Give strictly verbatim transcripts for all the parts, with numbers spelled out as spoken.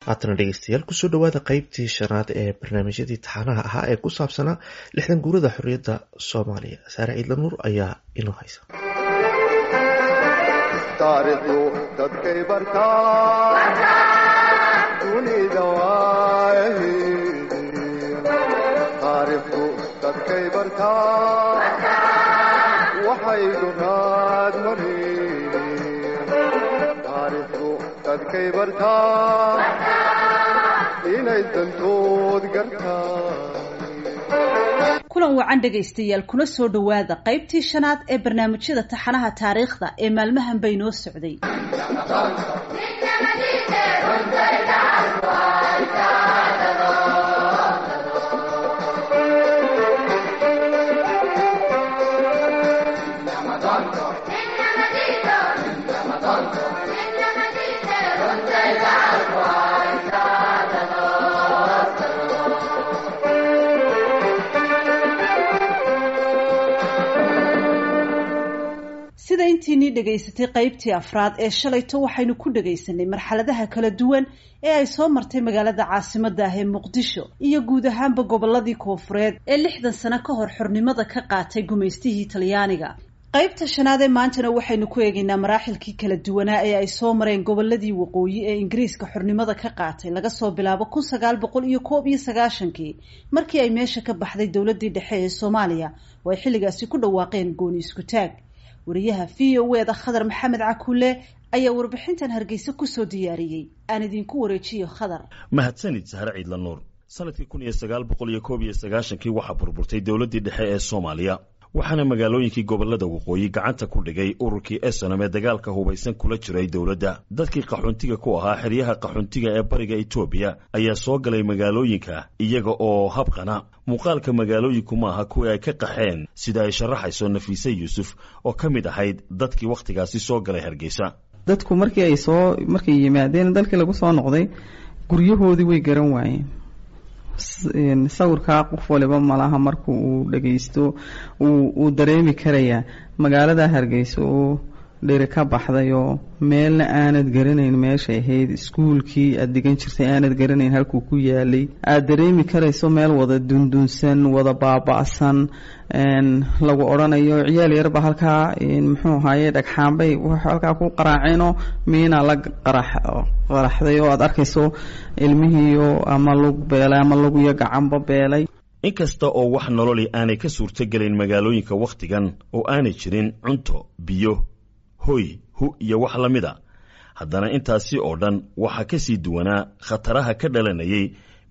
Haatana dhegeystayaal, kusoo dhawaada qeybtii shanaad ee barnaamijyadii taxanaha ahaa ee ku saabsanaa lixdan guurada xorriyadda Soomaaliya. Saare Ciidla Nuur ayaa inoo haysa. Taariikhdu dadkay bartaa, dunida waayaheedii. Taariikhdu dadkay bartaa, waxay duraad mareen. Taariikhdu dadkay bartaa, inay dantood gartaan. Kulan wacan dhegaystayaal, kuna soo dhowaada qaybtii shanaad ee barnaamijyada taxanaha taariikhda ee maalmahan bay noo socday. Sida intiinii dhegaysatay qaybtii afraad ee shalayto, waxaynu ku dhegaysanay marxaladaha kala duwan ee ay soo martay magaalada caasimadda ah ee Muqdisho iyo guud ahaanba gobolladii koonfureed ee lixdan sano ka hor xornimada ka qaatay gumaystihii Talyaaniga. Qaybta shanaad ee maantana waxaynu ku eegaynaa maraaxilkii kala duwanaa ee ay soo mareen gobolladii waqooyi ee Ingiriiska xornimada ka qaatay, laga soo bilaabo kun sagaal boqol iyo koob iyo sagaashankii, markii ay meesha ka baxday dowladdii dhexe ee Soomaaliya oo ay xilligaasi ku dhawaaqeen gooni isku taag. Wariyaha V O E da Khadar Maxamed Cakuule ayaa warbixintan Hargeysa kusoo diyaariyey. Aan idinku wareejiyo Khadar. Mahadsanid Sahre Ciidla Nuur. Sanadkii kun iyo sagaal boqol iyo koob iyo sagaashankii waxaa burburtay dowladdii dhexe ee Soomaaliya, waxaana magaalooyinkii gobolada waqooyi gacanta ku dhigay ururkii Esonom ee dagaalka hubaysan kula jiray dowladda. Dadkii qaxoontiga ku ahaa xeryaha qaxoontiga ee bariga Etoobiya ayaa soo galay magaalooyinka iyaga oo habqana. Muuqaalka magaalooyinku maaha kuwii ay ka qaxeen, sida ay sharaxayso Nafiise Yuusuf oo ka mid ahayd dadkii wakhtigaasi soo galay Hargeysa. Dadku markii ay soo markay yimaadeen dalkii lagu soo noqday, guryahoodii way garan waayeen. Sawirkaa qof waliba malaha marku uu dhagaysto uu dareemi karayaa magaalada Hargeysa oo dheri ka baxday oo meelna aanad garanayn meeshay ahayd, iskuulkii aada dhigan jirtay aanad garanayn halkuu ku yaalay, aada dareemi karayso meel wada dundunsan, wada baaba-san, lagu odhanayo ciyaal yarba halkaa muxuu ahaaye dhagxaanbay halkaa ku qaraaceenoo miinaa la qarax qaraxday oo aada arkayso ilmihiiyo ama lug beelay ama lugiyo gacanba beelay. Inkasta oo wax nololi aanay ka suurtogelayn magaalooyinka wakhtigan oo aanay jirin cunto, biyo, hoy, hu iyo wax la mid a, haddana intaasi oo dhan waxaa ka sii duwanaa khataraha ka dhalanayay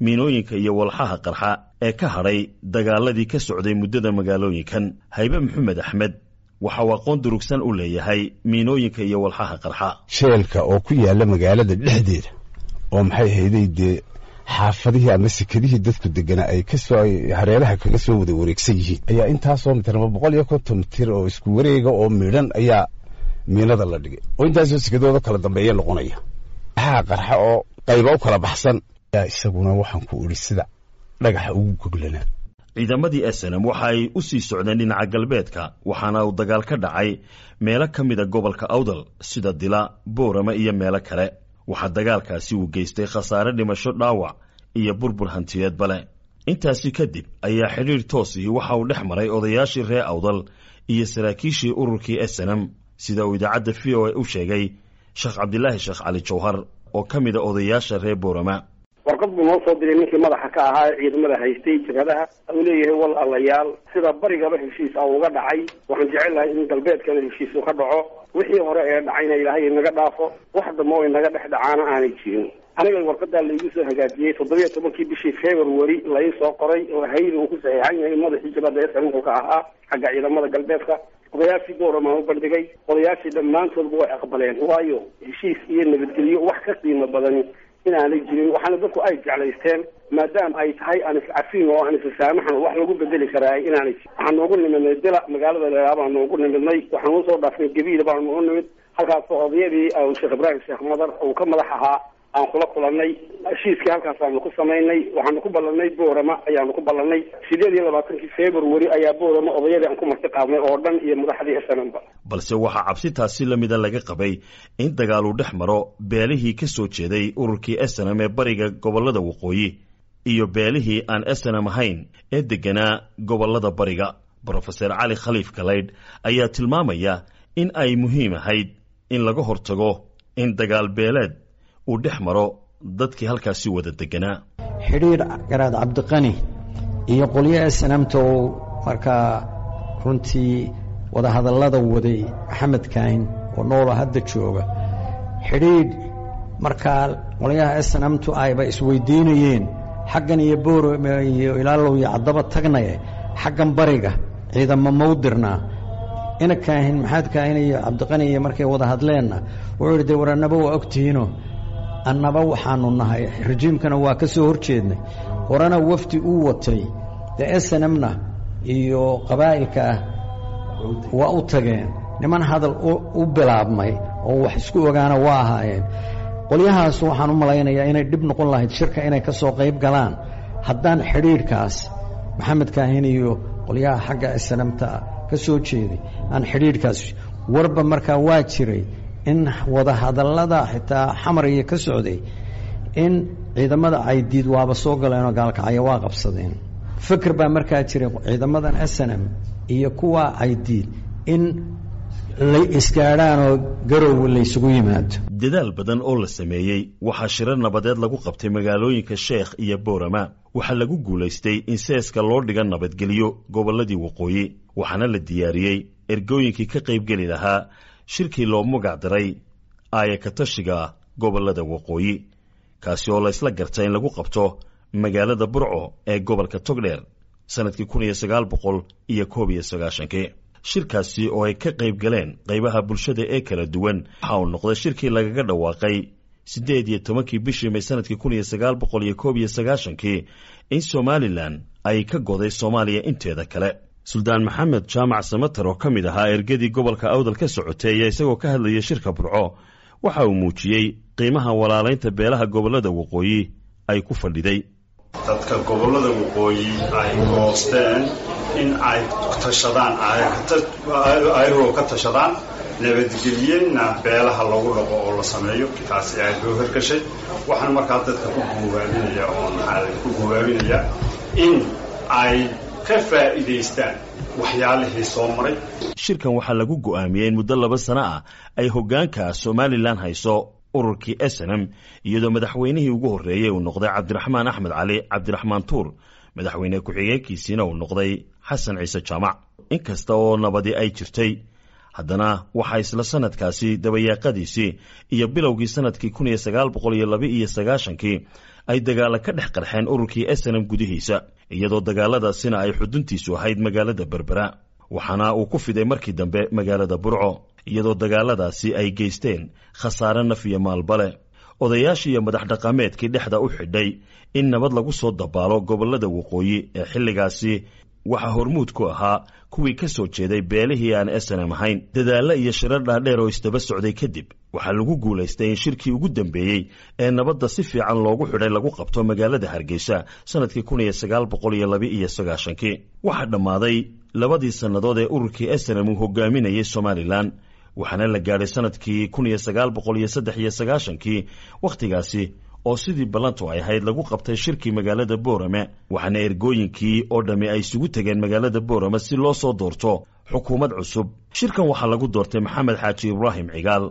miinooyinka iyo walxaha qarxa ee ka hadhay dagaaladii ka socday muddada magaalooyinkan. Haybe Maxamed Axmed waxa uu aqoon durugsan u leeyahay miinooyinka iyo walxaha qarxa. Jeelka oo ku yaalla magaalada dhexdeeda oo maxay hayday dee xaafadihii ama sekadihii dadku deganaa ay kasoo hareeraha kaga soo wada wareegsan yihiin ayaa intaasoo mitir ama boqol iyo konton mitir oo isku wareega oo midhan ayaa miinada la dhigay, oo intaasoo sekadooda kala dambeeya noqonaya waxaa qarxa oo qayba u kala baxsan ayaa isaguna waxaan ku idhi sida dhagaxa ugu goglanaa. Ciidamadii Esenam waxa ay u sii socdeen dhinaca galbeedka, waxaana uu dagaal ka dhacay meelo ka mida gobolka Awdal sida Dila, Boorama iyo meelo kale. Waxaa dagaalkaasi uu geystay khasaare dhimasho, dhaawac iyo burbur hantiyeedba leh. Intaasi kadib ayaa xidhiidh toosihii waxa uu dhex maray odayaashii reer Awdal iyo saraakiishii ururkii Esenam, sida uu idaacadda V O A u sheegay Sheekh Cabdilaahi Sheekh Cali Jawhar oo ka mida odayaasha reer Boorama. Warqad buu noo soo diray ninkii madaxa ka ahaa ciidamada haystay jabhadaha. Uu leeyahay: "Wal allayaal, sida barigaba heshiis a uga dhacay, waxaan jecel lahay in galbeedkana heshiis uu ka dhaco. Wixii hore ee dhacayna Ilaahay inaga dhaafo, wax dambe oo inaga dhex dhacaana aanay jirin." Aniga warqadaa laigu soo hagaajiyey toddobiyo tobankii bishii February lai soo qoray oo hayda uu ku saxiixan yahay madaxii jabhadda S wuxuu ka ahaa xagga ciidamada galbeedka. Odayaashii Booramaan u bandhigay, odayaashii dhammaantoodba way aqbaleen, waayo heshiis iyo nabadgelyo wax ka qiimo badani inaanay jirin. Waxaana dadku ay jeclaysteen maadaama ay tahay aan iscafin oo aan issaamaxan wax lagu bedeli karaa inaanay jirin. Waxaan noogu nimidnay Dila, magaalada leelaa baan noogu nimidnay. Waxaan usoo dhaafnay Gabiil baan noogu nimid, halkaasoo odayadii Sheekh Ibraahim Sheekh Madar uu ka madax ahaa Aan kula kulannay, heshiiskii halkaasaanu ku samaynay. Waxaanu ku ballanay Boorama ayaanu ku ballanay. Sideed iyo labaatankii February ayaa Boorama odayadii aan ku marti qaadnay oo dhan iyo madaxdii S N M ba. Balse waxaa cabsitaasi la mida laga qabay in dagaalu dhex maro beelihii ka soo jeeday ururkii S N M ee bariga gobollada waqooyi iyo beelihii aan S N M ahayn ee degganaa gobollada bariga. Brofeser Cali Khaliif Galaydh ayaa tilmaamaya in ay muhiim ahayd in laga hortago in dagaal beeleed uu dhex maro dadkii halkaasi wada deganaa. Xidhiidh Garaad Cabdiqani iyo qolyo S N M-ta oo markaa runtii wadahadallada waday, Maxamed Kaahin oo noola hadda jooga, xidhiidh markaa qolyaha S N M-tu ayba isweydiinayeen xaggan iyo Boor iyo Ilaalow iyo Caddaba tagnaye, xaggan bariga ciidamo mawdirnaa. Ina Kaahin, Maxamed Kaahin iyo Cabdiqani iyo markay wada hadleenna, wuxuu yidhi: "Dee war, annaba waa ogtihiino, annaba waxaanu nahay rajiimkana waa ka soo horjeednay." Horena wafdi uu watay dee S N M-na iyo qabaa'ilka ah waa u tageen, niman hadal u bilaabmay oo wax isku ogaana waa ahaayeen qolyahaas. Waxaan u malaynayaa inay dhib noqon lahayd shirka inay ka soo qayb galaan haddaan xidhiidhkaas Maxamed Kaahin iyo qolyaha xagga S N M-ta ka soo jeeday aan xidhiidhkaas warba. Markaa waa jiray in wadahadallada xitaa Xamar iyo ka socday in ciidamada Caydiid waaba soo galeenoo Gaalkacyo waa qabsadeen. Fikir baa markaa jiray ciidamadan S N M iyo kuwa Caydiid in lay isgaadhaan oo Garowe laysugu yimaado. Dadaal badan oo la sameeyey, waxaa shirar nabadeed lagu qabtay magaalooyinka Sheekh iyo Boorama. Waxaa lagu guulaystay in seeska loo dhiga nabadgelyo gobolladii waqooyi, waxaana la diyaariyey ergooyinkii ka qaybgeli lahaa shirkii loo magac daray aayakatashiga gobollada waqooyi, kaasi oo laysla gartay in lagu qabto magaalada Burco ee gobolka Togdheer sannadkii kun iyo sagaal boqol iyo koob iyo sagaashankii. Shirkaasi oo ay ka qayb galeen qaybaha bulshada ee kala duwan waxa uu noqday shirkii lagaga dhawaaqay siddeed iyo tobankii bishii May sanadkii kun iyo sagaal boqol iyo koob iyo sagaashankii in Somalilan ay ka goday Soomaaliya inteeda kale. Suldaan Maxamed Jaamac Samatar oo ka mid ahaa ergadii gobolka Awdal ka socotay ayaa isagoo ka hadlayay shirka Burco waxa uu muujiyey qiimaha walaalaynta beelaha gobollada waqooyi ay ku fadhiday. Dadka gobollada waqooyi ay goosteen in ay tashadaan, ayagoo ka tashadaan, nabadgelyena beelaha lagu dhaqo oo la sameeyo. Taasi aad loo hirgashay. Waxaan markaa dadka ku guubaabinaya oo maxaa ku guubaabinaya in ay ka faa'iidaystaan waxyaalihii soo maray. Shirkan waxaa lagu go'aamiyey in muddo laba sano ah ay hoggaanka Somalilan hayso ururkii S N M, iyadoo madaxweynihii ugu horreeyey uu noqday Cabdiraxmaan Axmed Cali, Cabdiraxmaan Tuur, madaxweyne ku-xigeenkiisiina uu noqday Xasan Ciise Jaamac. Inkasta oo nabadi ay jirtay, haddana waxaa isla sanadkaasi dabayaaqadiisii iyo bilowgii sanadkii kun iyo sagaal boqol iyo laba iyo sagaashankii ay dagaalo ka dhex qarxeen ururkii S N M gudihiisa, iyadoo dagaaladaasina ay xuduntiisu ahayd magaalada Berbera, waxaana uu ku fiday markii dambe magaalada Burco, iyadoo dagaaladaasi ay geysteen khasaare naf iyo maalbale. Odayaashii iyo madax dhaqameedkii dhexda u xidhay in nabad lagu soo dabaalo gobollada waqooyi ee xilligaasi waxaa hormuud ku ahaa kuwii ka soo jeeday beelihii aan S N M ahayn. Dadaallo iyo shirar dhaadheer oo isdaba socday kadib, waxaa lagu guulaystay in shirkii ugu dambeeyey ee nabadda si fiican loogu xidhay lagu qabto magaalada Hargeysa sanadkii kun iyo sagaal boqol iyo laba iyo sagaashankii. Waxaa dhammaaday labadii sannadood ee ururkii S N M uu hogaaminayay Somalilan, waxaana la gaadhay sanadkii kun iyo sagaal boqol iyo saddex iyo sagaashankii, wakhtigaasi oo sidii ballantu ay ahayd lagu qabtay shirkii magaalada Boorame, waxaana ergooyinkii oo dhammi ay isugu tegeen magaalada Boorame si loo soo doorto xukuumad cusub. Shirkan waxaa lagu doortay Maxamed Xaaji Ibraahim Cigaal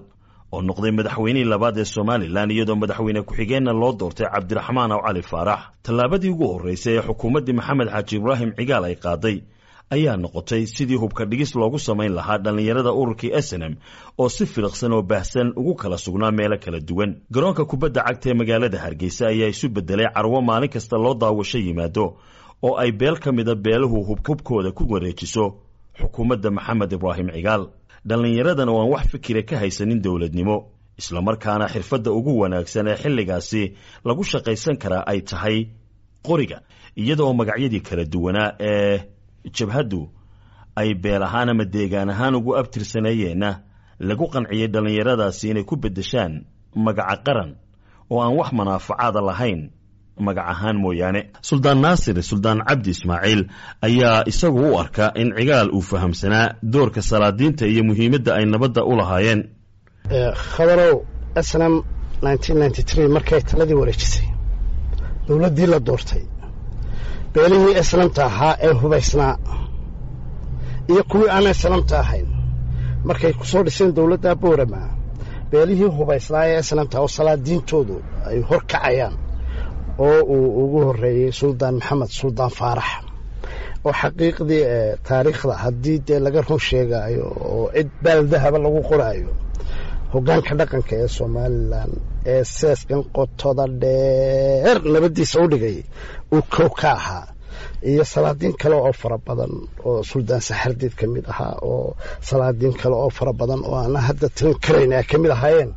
oo noqday madaxweynihii labaad ee Somalilan, iyadoo madaxweyne ku-xigeenna loo doortay Cabdiraxmaan Aw Cali Faarax. Tallaabadii ugu horraysay ee xukuumaddii Maxamed Xaaji Ibraahim Cigaal ay qaaday ayaa noqotay sidii hubka dhigis loogu samayn lahaa dhallinyarada ururkii S N M oo si filiqsan oo baahsan ugu kala sugnaa meelo kala duwan. Garoonka kubadda cagta ee magaalada Hargeysa ayaa isu beddelay carwo maalin kasta loo daawasho yimaado oo ay beel ka mida beeluhu hubkooda ku wareejiso xukuumadda Maxamed Ibraahim Cigaal. Dhallinyaradan oo aan wax fikira ka haysanin dowladnimo, islamarkaana xirfadda ugu wanaagsan ee xilligaasi lagu shaqaysan karaa ay tahay qoriga, iyadoo magacyadii kala duwanaa ee jabhaddu ay beel ahaan ama deegaan ahaan ugu abtirsaneeyeenna lagu qanciyey dhallinyaradaasi inay ku beddeshaan magaca qaran. oo aan wax manaafacaada lahayn magac ahaan mooyaane. Suldaan Naasir Suldaan Cabdi Ismaaciil ayaa isagu u arka in Cigaal uu fahamsanaa doorka salaadiinta iyo muhiimadda ay nabadda u lahaayeen. Khadarow, S N M markay taladii wareejisay dowladdii la doortay, beelihii S N M-ta ahaa ee hubaysnaa iyo kuwii aan S N M-ta ahayn markay ku soo dhiseen dowladda Boorama, beelihii hubaysnaa ee S N M-ta oo salaadiintoodu ay hor kacayaan oo uu ugu horreeyey Suldaan Maxamed Suldaan Faarax, oo xaqiiqdii taariikhda haddii dee laga run sheegaayo oo cid baaldahaba lagu qoraayo hoggaanka dhaqanka ee Somaliland ee seeskan qotoda dheer nabaddiisa u dhigay uu kow ka ahaa, iyo salaadiin kale oo fara badan oo Suldaan Saxardiid ka mid ahaa, oo salaadiin kale oo fara badan oo aana hadda tirin karayn ay ka mid ahaayeen,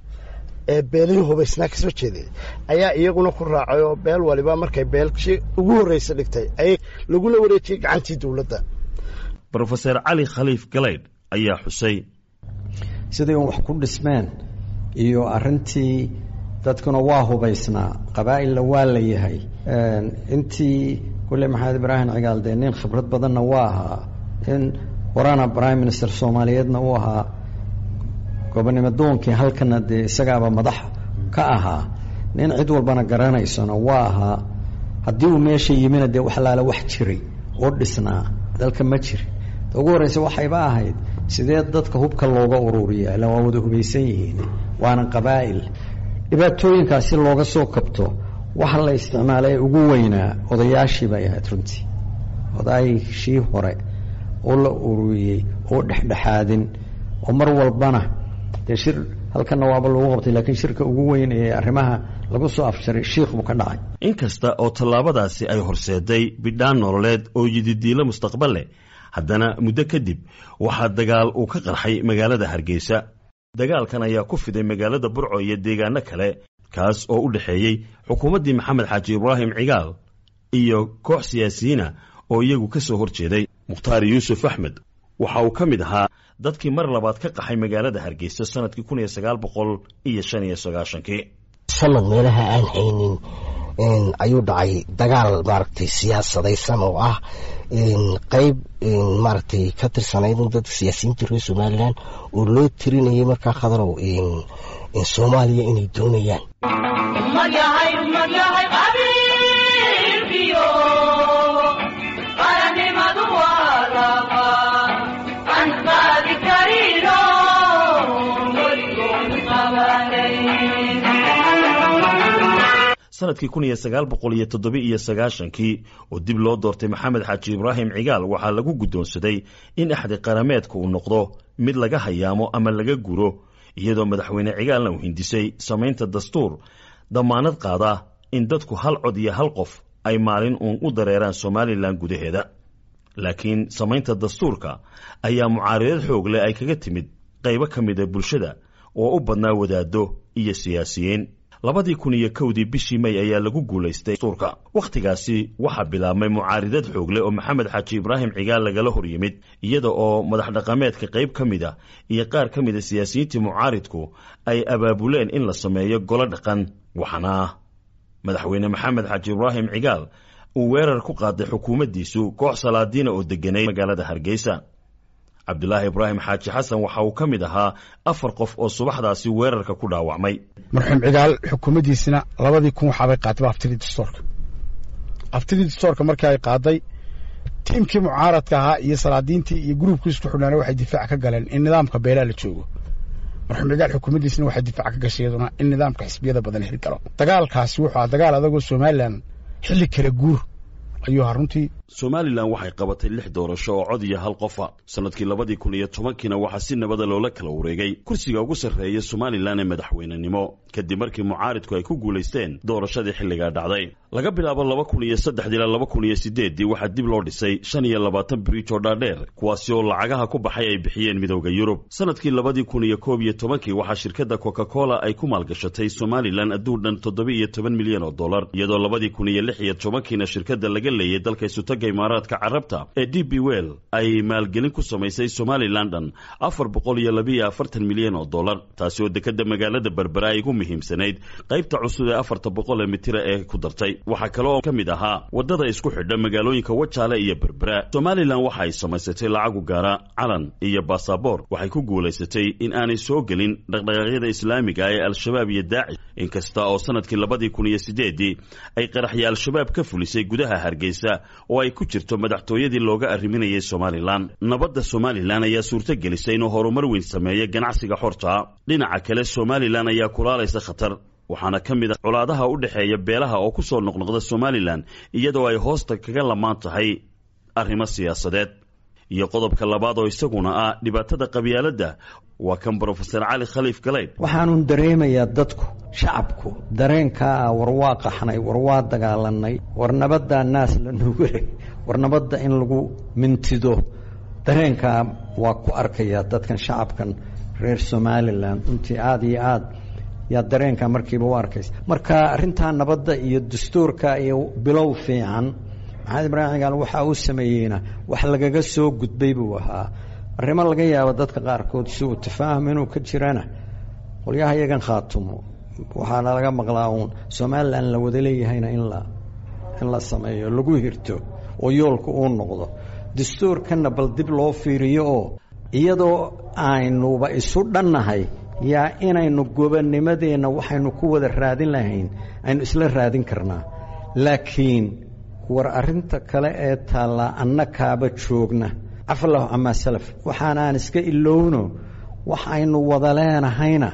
ee beelihii hubaysnaa ka soo jeeday ayaa iyaguna ku raacay, oo beel waliba markay beelkii ugu horreysa dhigtay ayay lagula wareejiyey gacantii dowladda. Brofeser Cali Khaliif Galaydh ayaa xusay: Siday un wax ku dhismeen iyo arrintii dadkuna waa hubaysnaa, qabaa'ilna waa la yahay. Intii kulle Maxamed Ibraahim Cigaal dee nin khibrad badanna waa ahaa, in horana prime minister Soomaaliyeedna uu ahaa, gobonimo doonkii halkana dee isagaaba madax ka ahaa, nin cid walbana garanaysona waa ahaa. Haddii uu meesha yimina dee wax laala wax jiray oo dhisnaa dalka ma jiri. Ugu horreysa waxayba ahayd sidee dadka hubka looga ururiya, ila waa wada hubaysan yihiin waana qabaa'il. Dhibaatooyinkaasi looga soo kabto waxa la isticmaalay ugu weynaa odayaashii bay ahayd runtii, odaayshii hore oo la ururiyey oo dhexdhexaadin oo mar walbana dee shir halkanna waaba lagu qabtay, laakiin shirka ugu weyn ee arrimaha lagu soo afjaray Shiikh buu ka dhacay. Inkasta oo tallaabadaasi ay horseeday bidhaan nololeed oo yididiilo mustaqbal leh, haddana muddo kadib waxaa dagaal uu ka qarxay magaalada Hargeysa. Dagaalkan ayaa ku fiday magaalada Burco iyo deegaano kale, kaas oo u dhexeeyey xukuumaddii Maxamed Xaaji Ibraahim Cigaal iyo koox siyaasiyiina oo iyagu ka soo hor jeeday. Mukhtaar Yuusuf Axmed waxa uu ka mid ahaa dadkii mar labaad ka qaxay magaalada Hargeysa sanadkii kun iyo sagaal boqol iyo shan iyo sagaashankii. Sanad meelaha aan haynin ayuu dhacay dagaal maaragtay siyaasadaysan oo ah qeyb maaragtay ka tirsanayd in dadka siyaasiyiinta reer Somaliland oo loo tirinayay markaa, Khadarow, Soomaaliya inay doonayaan. Sanadkii kun iyo sagaal boqol iyo toddoba iyo sagaashankii oo dib loo doortay Maxamed Xaaji Ibraahim Cigaal, waxaa lagu guddoonsaday in axdi qarameedka uu noqdo mid laga hayaamo ama laga guro, iyadoo madaxweyne Cigaalna uu hindisay samaynta dastuur damaanad qaada in dadku hal cod iyo hal qof ay maalin uun u dareeraan Somaliland gudaheeda. Laakiin samaynta dastuurka ayaa mucaaridad xoog leh ay kaga timid qaybo ka mida bulshada oo u badnaa wadaaddo iyo siyaasiyiin. Labadii kun iyo kowdii bishii May ayaa lagu guulaystay dastuurka. Wakhtigaasi waxaa bilaabmay mucaaridad xoog leh oo Maxamed Xaaji Ibraahim Cigaal lagala hor yimid, iyada oo madax dhaqameedka qayb ka mid a iyo qaar ka mida siyaasiyiintii mucaaridku ay abaabuleen in la sameeyo golo dhaqan. Waxaana madaxweyne Maxamed Xaaji Ibraahim Cigaal uu weerar ku qaaday xukuumaddiisu koox salaadiina oo degganayd magaalada Hargeysa. Cabdulaahi Ibraahim Xaaji Xasan waxa uu ka mid ahaa afar qof oo subaxdaasi weerarka ku dhaawacmay. Marxuum Cigaal xukuumaddiisina labadii kun waxaabay qaatayba aftidii dastuurka. Aftidii dastuurka markii ay qaaday, tiimkii mucaaradka ahaa iyo salaadiintii iyo gruubkii isku xidhnaana waxay difaac ka galeen in nidaamka beelaa la joogo. Marxuum Cigaal xukuumaddiisina waxay difaac ka gashay iyaduna in nidaamka xisbiyada badan hirgalo. Dagaalkaasi wuxuu ahaa dagaal adagoo Somaliland xilli kala guur ayuu ahaa runtii. Somaliland waxay qabatay lix doorasho oo cod iyo hal qofa. Sanadkii labadii kun iyo tobankiina waxaa si nabada loola kala wareegay kursiga ugu sarreeya Somaliland ee madaxweynenimo, kadib markii mucaaridku ay ku guulaysteen doorashadii xilligaa dhacday. Laga bilaabo laba kun iyo saddexdii ilaa laba kun iyo sideeddii waxaa dib loo dhisay shan iyo labaatan bridge oo dhaadheer, kuwaasi oo lacagaha ku baxay ay bixiyeen Midowda Yurub. Sanadkii labadii kun iyo koob iyo tobankii waxaa shirkadda Coca Cola ay ku maalgashatay Somaliland adduun dhan toddoba iyo toban milyan oo dollar, iyadoo labadii kun iyo lix iyo tobankiina shirkadda laga leeyay dalka Isutaga Imaaraadka Carabta ee D P World ay maalgelin ku samaysay Somaliland dhan afar boqol iyo labiiyo afartan milyan oo dollar, taasi oo dekadda magaalada Berbera ay ugu muhiimsanayd qaybta cusub ee afarta boqol ee mitira ee ku dartay. Waxaa kale oo ka mid ahaa waddada isku xidha magaalooyinka Wajaale iyo Berbera. Somalilan waxa ay samaysatay lacag u gaara, calan iyo baasaboor. Waxay ku guulaysatay in aanay soo gelin dhaqdhaqaaqyada islaamiga ee Al-Shabaab iyo Daacish, inkasta oo sanadkii labadii kun iyo sideedii ay qaraxya Al-Shabaab ka fulisay gudaha Hargeysa oo ay ku jirto madaxtooyadii looga arriminayay Somalilan. Nabadda Somalilan ayaa suurto gelisay inuu horumar weyn sameeyo ganacsiga xorta. Dhinaca kale, Somalilan ayaa kulaalaysa khatar, waxaana ka mid a colaadaha u dhexeeya beelaha oo ku soo noqnoqda Somalilan, iyadoo ay hoosta kaga lamaan tahay arrimo siyaasadeed. Iyo qodobka labaad oo isaguna ah dhibaatada qabyaaladda, waa kan Brofesor Cali Khaliif Galaydh. Waxaanun dareemayaa dadku, shacabku, dareenkaa ah: war waa qaxnay, war waa dagaalanay, war nabaddaa naas la nuugay, war nabadda in lagu mintido. Dareenkaa waa ku arkayaa dadkan, shacabkan reer Somalilan. Runtii aada iyo aad yaa dareenkaa markiiba u arkaysa. Marka arrintaa nabadda iyo dastuurka iyo bilow fiican Maxamed Ibraahim Cigaal waxa uu sameeyeyna wax lagaga soo gudbay buu ahaa. Arrimo laga yaabo dadka qaarkood si uu tafaahum inuu ka jirana, qolyaha iyagan Khaatumo waxaana laga maqlaa uun Somalilan la wada leeyahayna in la in la sameeyo, lagu hirto oo yoolka uu noqdo. Dastuurkanna bal dib loo fiiriyo, oo iyadoo aynuba isu dhannahay yaa inaynu gobanimadeenna waxaynu ku wada raadin lahayn aynu isla raadin karnaa. Laakiin war arrinta kale ee taallaa, annakaaba joogna, cafallahu camaa salaf, waxaanaan iska ilowno, wax aynu wada leenahayna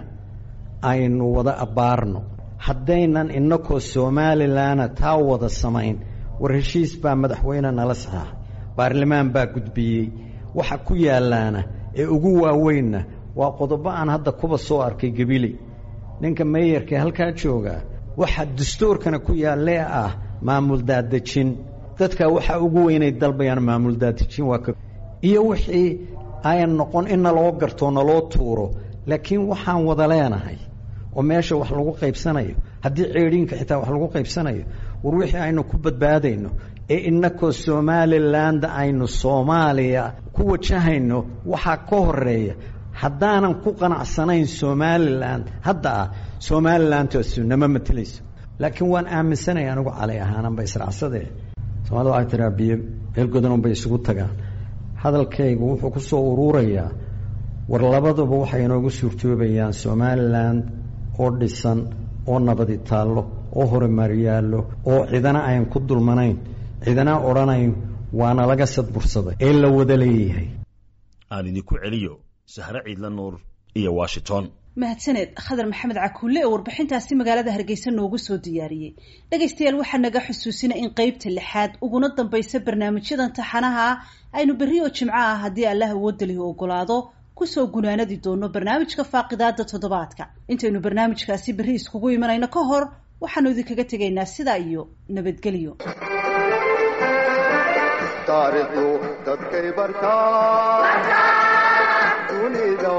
aynu wada abbaarno. Haddaynan innakoo Somalilanna taa wada samayn, war heshiis baa madaxweyne nala saxaaxay, baarlamaan baa gudbiyey, waxa ku yaallaana ee ugu waaweynna waa qodobo aan hadda kuba soo arkay Gabiley, ninka meeyarka halkaa joogaa, waxa dastuurkana ku yaallee ah maamul daadejin. Dadka waxaa ugu weynay dalbayaan maamul daadejin, waa ka iyo wixii ayan noqon in naloo garto, naloo tuuro. Laakiin waxaan wada leenahay oo meesha wax lagu qaybsanayo, haddii ceedhiinka xitaa wax lagu qaybsanayo, war wixii aynu ku badbaadayno ee innakoo Somaliland aynu Soomaaliya ku wajahayno waxaa ka horeeya. Haddaanan ku qanacsanayn Somaliland hadda ah, Somalilandtaasu nama matelayso. Laakiin waan aaminsanaya anigu Cali ahaananba israacsadee. Soomaalida waxay tiraa biyo meel godan bay isugu tagaan. Hadalkaygu wuxuu ku soo uruurayaa, war labaduba waxay inoogu suurtoobayaan Somaliland oo dhisan, oo nabadi taallo, oo horumar yaallo, oo cidana ayan ku dulmanayn, cidana odhanayn waana laga sadbursaday, ee la wada leeyahay. Aan idinku celiyo Sahre Ciidla Nuur iyo Washington. Mahadsaneed Khadar Maxamed Cakuule oo warbixintaasi magaalada Hargeysa noogu soo diyaariyey. Dhegaystayaal, waxaa naga xusuusina in qeybta lixaad uguna dambaysa barnaamijyadan taxanaha ah aynu berri oo jimco ah, haddii Allah awoodda lihi ogolaado, kusoo gunaanadi doono barnaamijka faaqidaada toddobaadka. Intaynu barnaamijkaasi berri iskugu imanayno ka hor, waxaanu idinkaga tegaynaa sidaa iyo nabadgelyo. Taariikhdu dadkay bartaa, dunida.